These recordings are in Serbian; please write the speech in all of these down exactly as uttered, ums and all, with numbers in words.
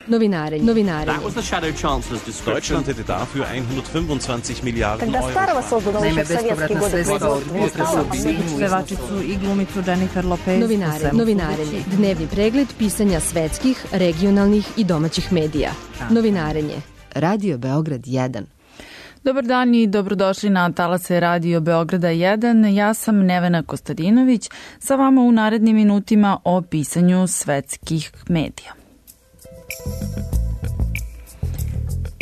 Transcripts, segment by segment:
Novinarenje. Novinarenje. That was the shadow chancellor's description. Deutschland hätte dafür hundertfünfundzwanzig Milliarden Euro. Naime, bespovratna sredstva od potresa u Sinju. Pevačicu i glumicu Jennifer Lopez. Novinarenje. Novinarenje. Dnevni pregled pisanja svetskih, regionalnih i domaćih medija. Novinarenje. Radio Beograd jedan. Dobar dan i dobrodošli na talase Radio Beograda jedan. Ja sam Nevena Kostadinović, sa vama u narednim minutima o pisanju svetskih medija.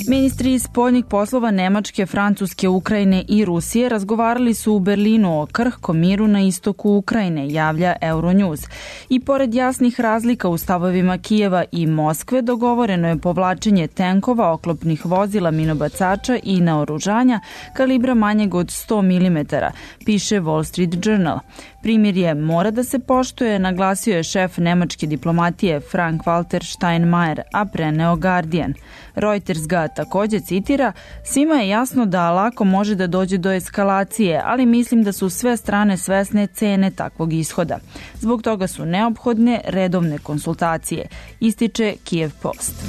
Ministri spoljnih poslova Nemačke, Francuske, Ukrajine i Rusije razgovarali su u Berlinu o krhkom miru na istoku Ukrajine, javlja Euronews. I pored jasnih razlika u stavovima Kijeva i Moskve, dogovoreno je povlačenje tenkova, oklopnih vozila, minobacača i naoružanja kalibra manjeg od sto milimetara, piše Wall Street Journal. Primirje mora da se poštuje, naglasio je šef nemačke diplomatije Frank-Walter Steinmeier, a preneo Guardian. Reuters ga također citira: svima je jasno da lako može da dođe do eskalacije, ali mislim da su sve strane svesne cene takvog ishoda. Zbog toga su neophodne redovne konsultacije, ističe Kiev Post.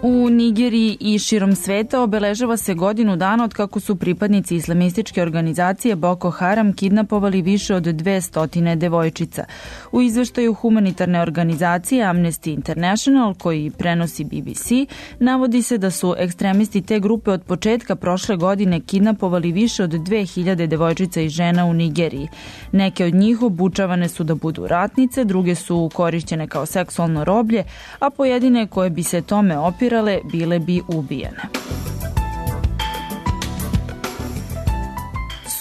U Nigeriji i širom sveta obeležava se godinu dana od kako su pripadnici islamističke organizacije Boko Haram kidnapovali više od dvesta devojčica. U izveštaju humanitarne organizacije Amnesty International, koji prenosi B B C, navodi se da su ekstremisti te grupe od početka prošle godine kidnapovali više od dve hiljade devojčica i žena u Nigeriji. Neke od njih obučavane su da budu ratnice, druge su korišćene kao seksualno roblje, a pojedine koje bi se tome opirale bile bi ubijene.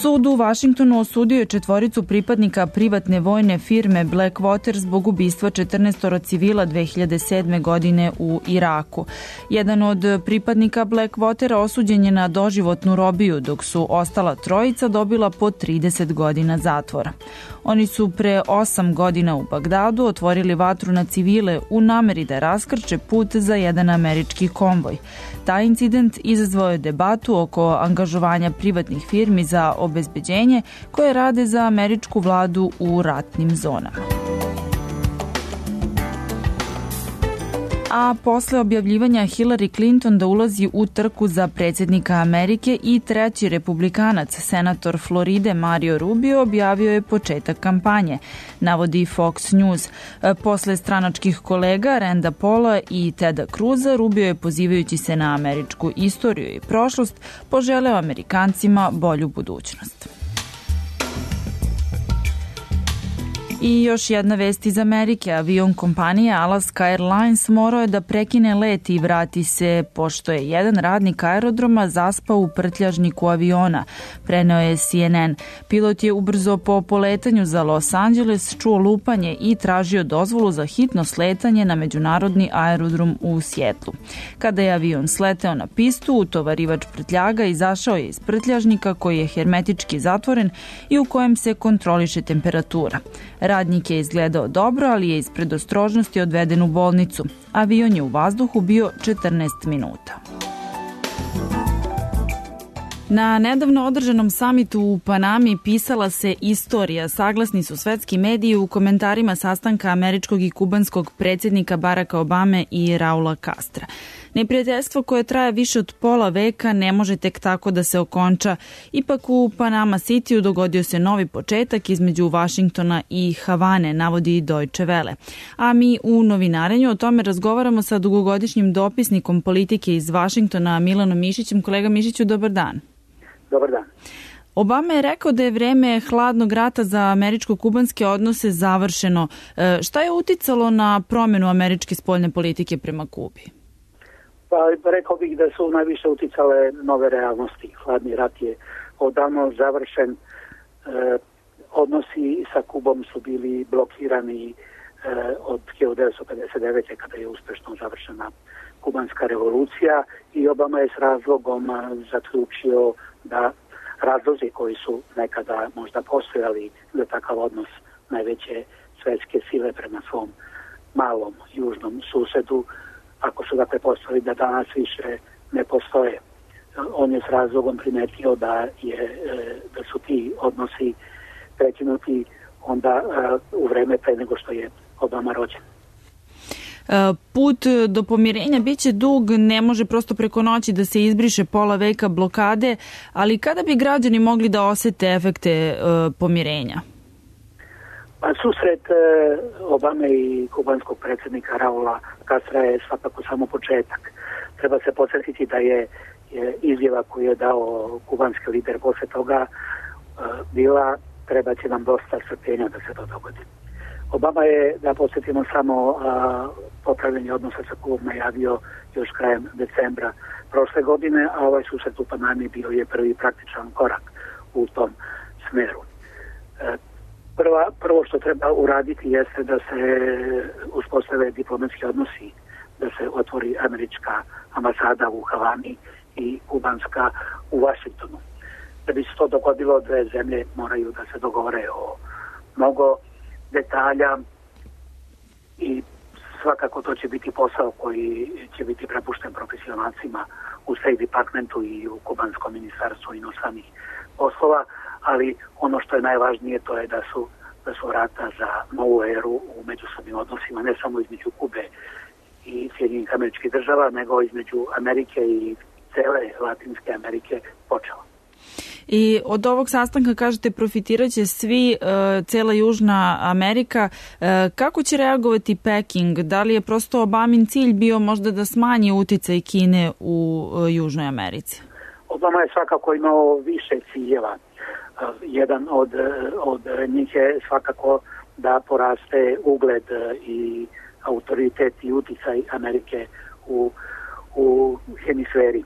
Sud u Vašingtonu osudio je četvoricu pripadnika privatne vojne firme Blackwater zbog ubistva četrnaestoro civila dve hiljade sedme. godine u Iraku. Jedan od pripadnika Blackwatera osuđen je na doživotnu robiju, dok su ostala trojica dobila po trideset godina zatvora. Oni su pre osam godina u Bagdadu otvorili vatru na civile u nameri da raskrče put za jedan američki konvoj. Taj incident izazvao je debatu oko angažovanja privatnih firmi za obezbeđenje koje rade za američku vladu u ratnim zonama. A posle objavljivanja Hillary Clinton da ulazi u trku za predsjednika Amerike, i treći republikanac, senator Floride Mario Rubio, objavio je početak kampanje, navodi Fox News. Posle stranačkih kolega Randa Paula i Teda Cruza, Rubio je, pozivajući se na američku istoriju i prošlost, poželeo Amerikancima bolju budućnost. I još jedna vest iz Amerike. Avion kompanije Alaska Airlines morao je da prekine let i vrati se pošto je jedan radnik aerodroma zaspao u prtljažniku aviona, preneo je C N N. Pilot je ubrzo po poletanju za Los Angeles čuo lupanje i tražio dozvolu za hitno sletanje na međunarodni aerodrom u Sjetlu. Kada je avion sleteo na pistu, utovarivač prtljaga izašao je iz prtljažnika koji je hermetički zatvoren i u kojem se kontroliše temperatura. Radnik je izgledao dobro, ali je iz predostrožnosti odveden u bolnicu. Avion je u vazduhu bio četrnaest minuta. Na nedavno održanom samitu u Panami pisala se istorija. Saglasni su svetski mediji u komentarima sastanka američkog i kubanskog predsjednika Baracka Obame i Raula Castra. Neprijateljstvo koje traje više od pola veka ne može tek tako da se okonča. Ipak u Panama Cityu dogodio se novi početak između Vašingtona i Havane, navodi Deutsche Welle. A mi u novinarenju o tome razgovaramo sa dugogodišnjim dopisnikom politike iz Vašingtona, Milanom Mišićem. Kolega Mišiću, dobar dan. Dobar dan. Obama je rekao da je vreme hladnog rata za američko-kubanske odnose završeno. E, šta je uticalo na promjenu američke spoljne politike prema Kubi? Pa rekao bih da su najviše uticale nove realnosti. Hladni rat je odavno završen. E, odnosi sa Kubom su bili blokirani e, od hiljadu devetsto pedeset devete. kada je uspešno završena kubanska revolucija, i Obama je s razlogom zaključio da razlozi koji su nekada možda postojali za takav odnos najveće svetske sile prema svom malom južnom susedu, ako su ga prepostavili da danas više ne postoje. On je s razlogom primetio da, je, da su ti odnosi prekinuti onda u vreme pre nego što je Obama rođen. Put do pomirenja biće dug, ne može prosto preko noći da se izbriše pola veka blokade, ali kada bi građani mogli da osete efekte pomirenja? Pa susret Obame i kubanskog predsjednika Raula Castra je svakako samo početak. Treba se podsjetiti da je izjava koju je dao kubanski lider posle toga bila treba će nam dosta strpljenja da se to dogodi. Obama je, da podsjetimo samo, popravljanje odnosa sa Kubom najavio još krajem decembra prošle godine, a ovaj susret u Panami bio je prvi praktičan korak u tom smeru. Prva, prvo što treba uraditi jeste da se uspostave diplomatski odnosi, da se otvori američka ambasada u Havani i kubanska u Vašingtonu. Da bi se to dogodilo, dve zemlje moraju da se dogovore o mnogo detalja i svakako to će biti posao koji će biti prepušten profesionalcima u State Departmentu i u kubanskom ministarstvu inostranih poslova, ali ono što je najvažnije to je da su, da su vrata za novu eru u međusobnim odnosima, ne samo između Kube i Sjedinjenih Američkih Država, nego između Amerike i cele Latinske Amerike počela. I od ovog sastanka, kažete, profitirat će svi, cela Južna Amerika. Kako će reagovati Peking? Da li je prosto Obamin cilj bio možda da smanji uticaj Kine u Južnoj Americi? Obama je svakako imao više ciljeva. Jedan od, od njih je svakako da poraste ugled i autoritet i uticaj Amerike u, u hemisferi.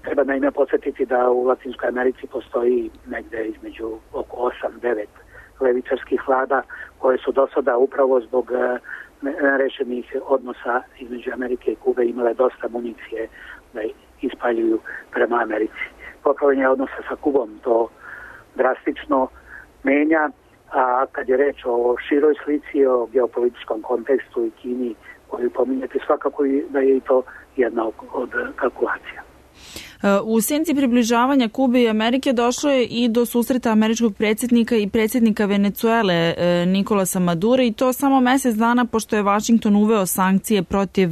Treba naime podsjetiti da u Latinskoj Americi postoji negde između oko osam devet levičarskih vlada koje su do sada upravo zbog nerešenih odnosa između Amerike i Kube imale dosta municije da ispaljuju prema Americi. Popravljanje odnosa sa Kubom to drastično menja, a kad je reč o široj slici, o geopolitičkom kontekstu i Kini koju pominjete, svakako da je i to jedna od kalkulacija. U senci približavanja Kube i Amerike došlo je i do susreta američkog predsjednika i predsjednika Venecuele Nikolasa Madura, i to samo mjesec dana pošto je Vašington uveo sankcije protiv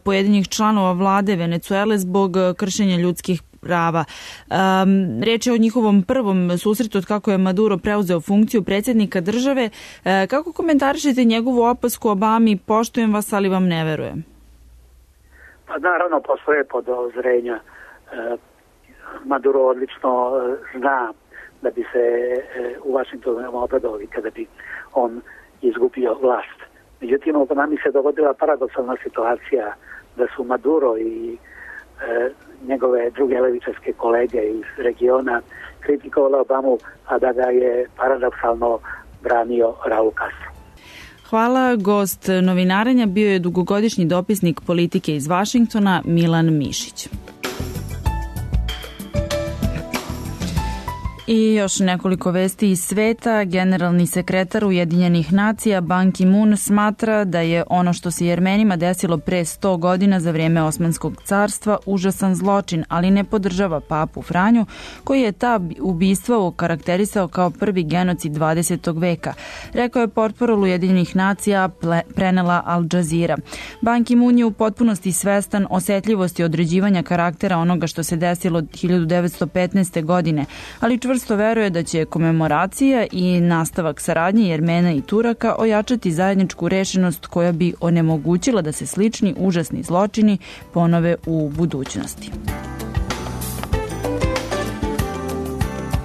pojedinih članova vlade Venecuele zbog kršenja ljudskih prava. Um, reč je o njihovom prvom susretu od kako je Maduro preuzeo funkciju predsjednika države. E, kako komentarišete njegovu opasku Obami? Poštujem vas, ali vam ne verujem. Pa naravno, postoje podozrenja. Maduro odlično zna da bi se u Vašingtonu obradovali kada bi on izgubio vlast. Međutim, u Panami se dogodila paradoksalna situacija da su Maduro i e, njegove druge levičarske kolege iz regiona kritikovali Obamu, a da ga je paradoksalno branio Raul Castro. Hvala. Gost novinarenja bio je dugogodišnji dopisnik politike iz Vašingtona Milan Mišić. I još nekoliko vesti iz sveta. Generalni sekretar Ujedinjenih nacija Ban Ki-moon smatra da je ono što se Jermenima desilo pre sto godina za vrijeme Osmanskog carstva užasan zločin, ali ne podržava papu Franju, koji je ta ubistva okarakterisao kao prvi genocid dvadesetog veka. Rekao je portparol Ujedinjenih nacija, prenela Al Jazeera. Ban Ki-moon je u potpunosti svestan osetljivosti određivanja karaktera onoga što se desilo hiljadu devetsto petnaeste. godine, ali čvrsto veruje da će komemoracija i nastavak saradnje Jermena i Turaka ojačati zajedničku rešenost koja bi onemogućila da se slični užasni zločini ponove u budućnosti.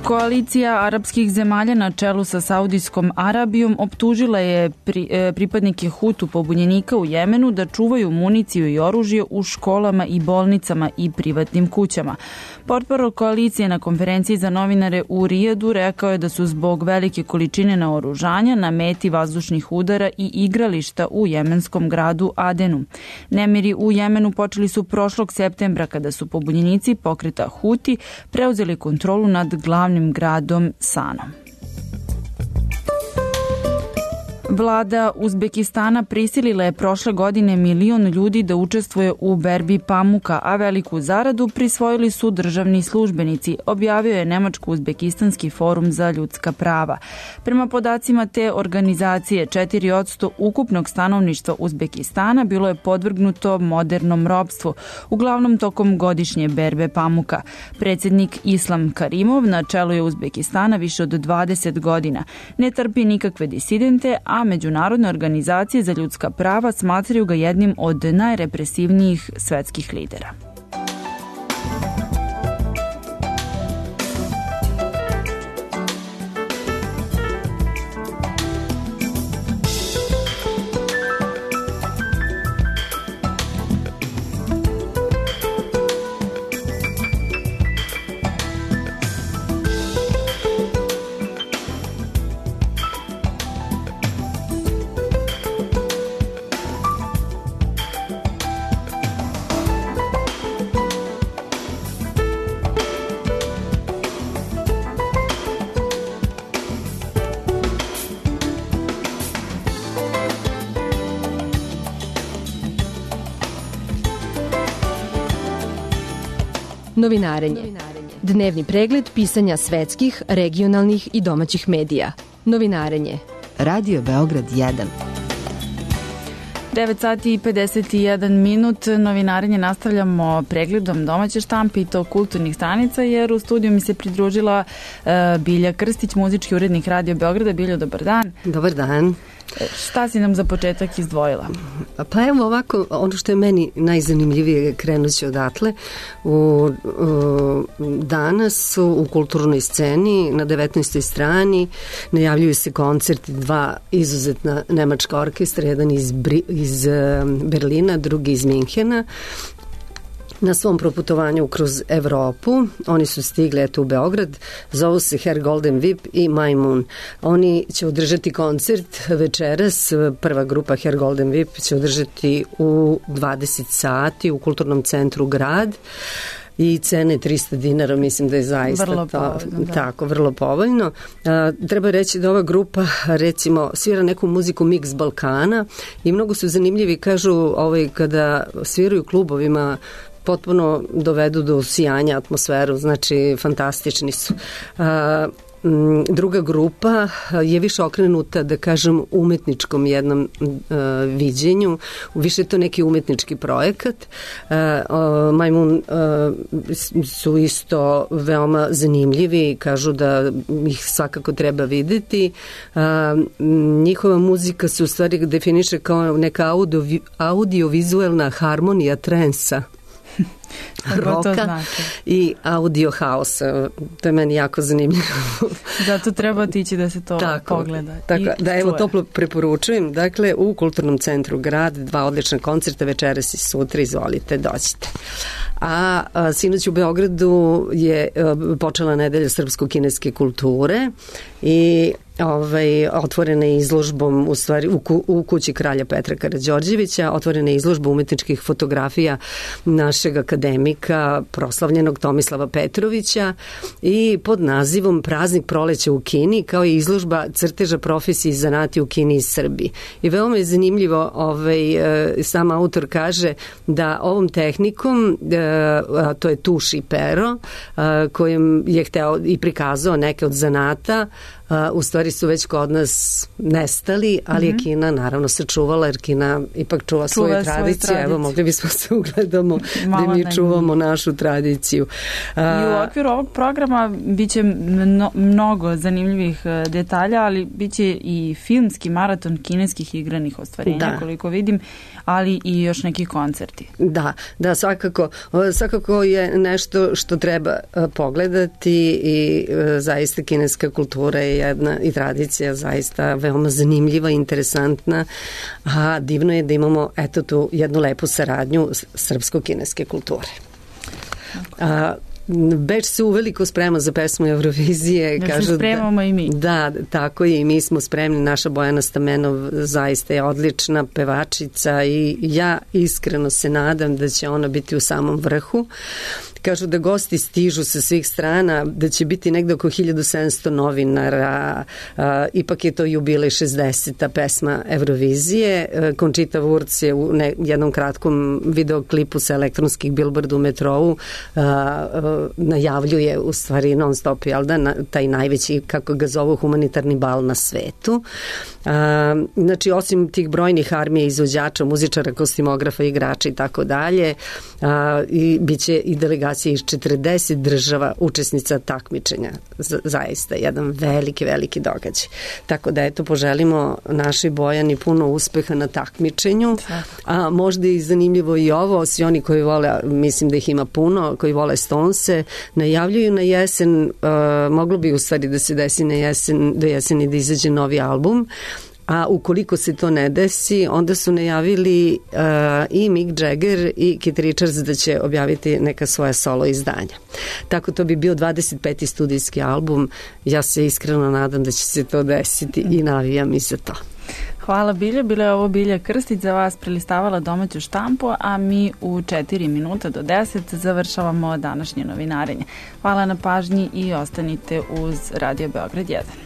Koalicija arapskih zemalja na čelu sa Saudijskom Arabijom optužila je pri, e, pripadnike Hutu pobunjenika u Jemenu da čuvaju municiju i oružje u školama i bolnicama i privatnim kućama. Portparol koalicije na konferenciji za novinare u Rijadu rekao je da su zbog velike količine naoružanja na meti vazdušnih udara i igrališta u jemenskom gradu Adenu. Nemiri u Jemenu počeli su prošlog septembra kada su pobunjenici pokreta Huti preuzeli kontrolu nad glavnim gradom Sanom. Vlada Uzbekistana prisilila je prošle godine milion ljudi da učestvuje u berbi pamuka, a veliku zaradu prisvojili su državni službenici, objavio je Nemačko-Uzbekistanski forum za ljudska prava. Prema podacima te organizacije, četiri posto ukupnog stanovništva Uzbekistana bilo je podvrgnuto modernom ropstvu, uglavnom tokom godišnje berbe pamuka. Predsjednik Islam Karimov na čelu je Uzbekistana više od dvadeset godina. Ne trpi nikakve disidente, a međunarodne organizacije za ljudska prava smatraju ga jednim od najrepresivnijih svetskih lidera. Novinarenje. Dnevni pregled pisanja svetskih, regionalnih i domaćih medija. Novinarenje. Radio Beograd jedan. devet sati i pedeset jedan minut. Novinarenje nastavljamo pregledom domaće štampe i to kulturnih stranica, jer u studiju mi se pridružila uh, Bilja Krstić, muzički urednik Radio Beograda. Biljo, dobar dan. Dobar dan. Šta si nam za početak izdvojila? Pa evo ovako, ono što je meni najzanimljivije, krenući odatle. U, u, danas u kulturnoj sceni na devetnaestoj strani najavljuju se koncerti dva izuzetna nemačka orkestra, jedan iz, iz Berlina, drugi iz Minhena. Na svom proputovanju kroz Evropu. Oni su stigli eto u Beograd, zovu se Herr Golden Whip i Majmun. Oni će održati koncert večeras, prva grupa Herr Golden Whip će održati u dvadeset sati u kulturnom centru Grad. I cene trista dinara, mislim da je zaista vrlo to, povoljno, da. Tako, vrlo povoljno. A, treba reći da ova grupa, recimo, svira neku muziku mix Balkana i mnogo su zanimljivi, kažu, ovaj, kada sviraju klubovima, potpuno dovedu do sijanja atmosferu, znači fantastični su. A, druga grupa je više okrenuta, da kažem, umetničkom jednom uh, viđenju. Više je to neki umetnički projekat. Uh, uh, Majmun uh, su isto veoma zanimljivi, kažu da ih svakako treba videti. Uh, njihova muzika se u stvari definiše kao neka audio, audiovizualna harmonija trensa, roka i audio haosa. To je meni jako zanimljivo. Zato treba tići da se to tako, pogleda. Tako, da evo toplo preporučujem. Dakle, u Kulturnom centru Grad dva odlična koncerta večeras i sutra, izvolite, dođite. A, a sinoć u Beogradu je a, počela nedelja srpsko-kineske kulture i Ovaj, otvorena je izložbom u stvari u, ku, u kući kralja Petra Karađorđevića, otvorena je izložba umetničkih fotografija našeg akademika proslavljenog Tomislava Petrovića i pod nazivom Praznik proleća u Kini, kao i izložba crteža profesiji i zanati u Kini i Srbiji. I veoma je zanimljivo, ovaj, sam autor kaže da ovom tehnikom, a to je tuš i pero, kojim je hteo i prikazao neke od zanata, Uh, u stvari su već kod nas nestali, ali mm-hmm. je Kina naravno sačuvala, jer Kina ipak čuva, čuva svoju tradiciju. Evo, mogli bismo se ugledamo da mi čuvamo našu tradiciju. Uh, I u okviru ovog programa biće mno, mnogo zanimljivih detalja, ali biće i filmski maraton kineskih igranih ostvarenja, da. Koliko vidim, ali i još neki koncerti. Da, da, svakako, svakako je nešto što treba pogledati i zaista kineska kultura je jedna i tradicija zaista veoma zanimljiva, interesantna, a divno je da imamo eto tu jednu lepu saradnju srpsko-kineske kulture. A, Beč se uveliko sprema za pesmu Eurovizije. Da se spremamo da, i mi. Da, tako je i mi smo spremni. Naša Bojana Stamenov zaista je odlična pevačica i ja iskreno se nadam da će ona biti u samom vrhu. Kažu da gosti stižu sa svih strana, da će biti negde oko hiljadu sedamsto novinara, a, ipak je to jubilej šezdeseta pesma Eurovizije. Conchita Wurst je u ne, jednom kratkom videoklipu sa elektronskih bilborda u metrou a, a, najavljuje u stvari non stop, jel da, na, taj najveći, kako ga zovu, humanitarni bal na svetu. A, znači, osim tih brojnih armije izvođača, muzičara, kostimografa, igrača i tako dalje, i bit će i delegacija iz četrdeset država učesnica takmičenja. Z- zaista jedan veliki, veliki događaj. Tako da eto, poželimo našoj Bojani puno uspeha na takmičenju, a možda je zanimljivo i ovo, svi oni koji vole, mislim da ih ima puno, koji vole Stonese, najavljuju na jesen, uh, moglo bi u stvari da se desi na jesen, do jeseni da izađe novi album, a ukoliko se to ne desi, onda su najavili uh, i Mick Jagger i Keith Richards da će objaviti neka svoja solo izdanja. Tako to bi bio dvadeset peti studijski album. Ja se iskreno nadam da će se to desiti i navijam i za to. Hvala Bilja, bila je ovo Bilja Krstić za vas prelistavala domaću štampu, a mi u četiri minuta do deset završavamo današnje novinarenje. Hvala na pažnji i ostanite uz Radio Beograd jedan.